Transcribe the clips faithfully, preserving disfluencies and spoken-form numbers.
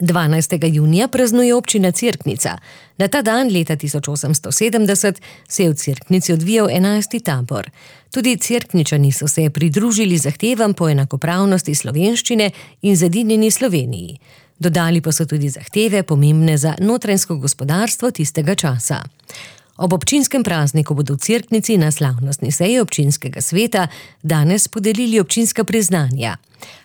dvanajstega junija praznuje občina Cerknica. Na ta dan leta tisoč osemsto sedemdeset se je v Cerknici odvijal enajsti tabor. Tudi Cerkničani so se pridružili zahtevam po enakopravnosti slovenščine in zedinjeni Sloveniji. Dodali pa so tudi zahteve, pomembne za notranjsko gospodarstvo tistega časa. Ob občinskem prazniku bodo v Cerknici na slavnostni seji občinskega sveta danes podelili občinska priznanja.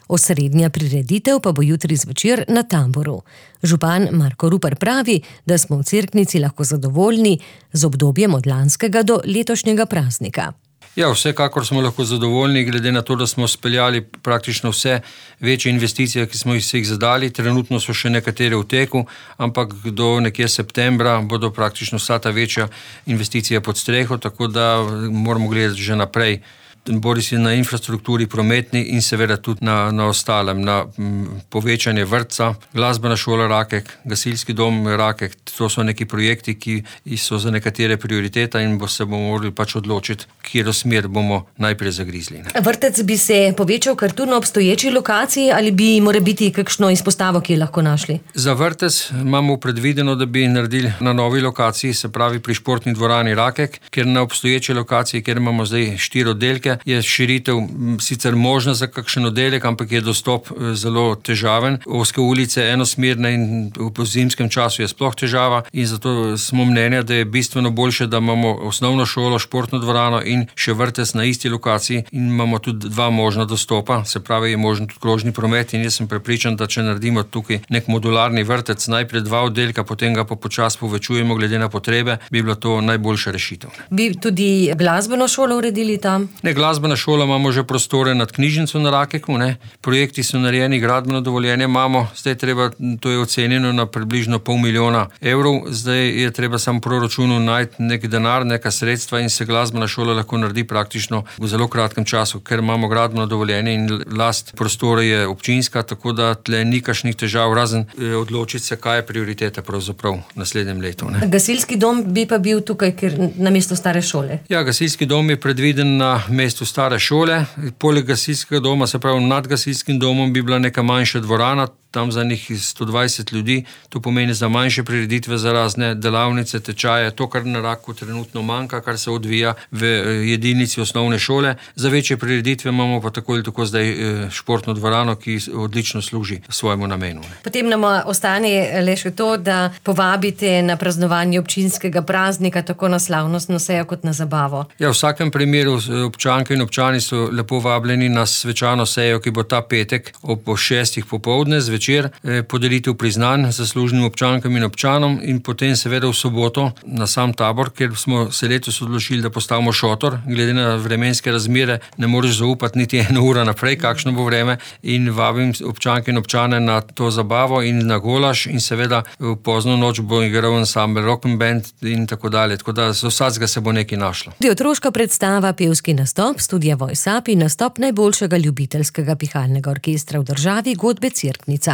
Osrednja prireditev pa bo jutri zvečer na taboru. Župan Marko Rupar pravi, da smo v Cerknici lahko zadovoljni z obdobjem od lanskega do letošnjega praznika. Ja, vsekakor smo lahko zadovoljni, glede na to, da smo speljali praktično vse večje investicije, ki smo jih zadali. Trenutno so še nekatere v teku, ampak do nekje septembra bodo praktično vsa ta večja investicija pod streho, tako da moramo gledati že naprej. Bori si na infrastrukturi prometni in seveda tudi na, na ostalem, na m, povečanje vrtca, glasbena šola Rakek, gasilski dom Rakek. To so neki projekti, ki so za nekatere prioriteta in bo se bomo morali pač odločiti, kjer smer bomo najprej zagrizli. Ne. Vrtec bi se povečal kar tu na obstoječi lokaciji ali bi mora biti kakšno izpostavo, ki je lahko našli? Za vrtec imamo predvideno, da bi naredili na novi lokaciji, se pravi pri športni dvorani Rakek, ker na obstoječi lokaciji, kjer imamo zdaj štiri oddelke, je širitev sicer možna za kakšen oddelek, ampak je dostop zelo težaven. Ozke ulice enosmerne in v zimskem času je sploh težava in zato smo mnenja, da je bistveno boljše, da imamo osnovno šolo, športno dvorano in še vrtec na isti lokaciji in imamo tudi dva možna dostopa, se pravi je možen tudi krožni promet in jaz sem prepričan, da če naredimo tukaj nek modularni vrtec, najprej dva oddelka, potem ga pa počasi povečujemo glede na potrebe, bi bila to najboljša rešitev. Bi tudi glasbeno šolo uredili tam? Ne, glasbena šola imamo že prostore nad knjižnico na Rakeku, ne. Projekti so narejeni, gradbeno dovoljenje imamo, zdaj treba, to je ocenjeno na približno pol milijona evrov, zdaj je treba samo v proračunu najti nek denar, neka sredstva in se glasbena šola lahko naredi praktično v zelo kratkem času, ker imamo gradbeno dovoljenje in last prostore je občinska, tako da tle ni kakšnih težav, razen odločiti se, kaj je prioriteta pravzaprav v naslednjem letu. Ne. Gasilski dom bi pa bil tukaj, ker na mestu stare šole? Ja, gasilski dom je predviden na mestu stare šole. Poleg gasilskega doma, se pravi nad gasilskim domom, bi bila neka manjša dvorana, tam za njih sto dvajset ljudi, to pomeni za manjše prireditve, za razne delavnice, tečaje, to, kar na Raku trenutno manjka, kar se odvija v jedilnici osnovne šole. Za večje prireditve imamo pa tako ali tako zdaj športno dvorano, ki odlično služi svojemu namenu. Potem nam ostane le še to, da povabite na praznovanje občinskega praznika, tako na slavnostno sejo kot na zabavo. Ja, v vsakem primeru občanke in občani so lepo vabljeni na svečano sejo, ki bo ta petek ob šestih popoldne zvečer večer, podelitev priznanj zaslužnim občankam in občanom in potem seveda v soboto na sam tabor, kjer smo se letos odločili, da postavimo šotor. Glede na vremenske razmere ne moreš zaupati niti eno uro naprej, kakšno bo vreme in vabim občanke in občane na to zabavo in na golaž in seveda v pozno noč bo igral ansambel Rock and Band in tako dalje. Tako da z vsakega se bo nekaj našlo. Tudi otroška predstava, pevski nastop, studija Voice Up in nastop najboljšega ljubiteljskega pihalnega orkestra v državi, godbe Cerknica.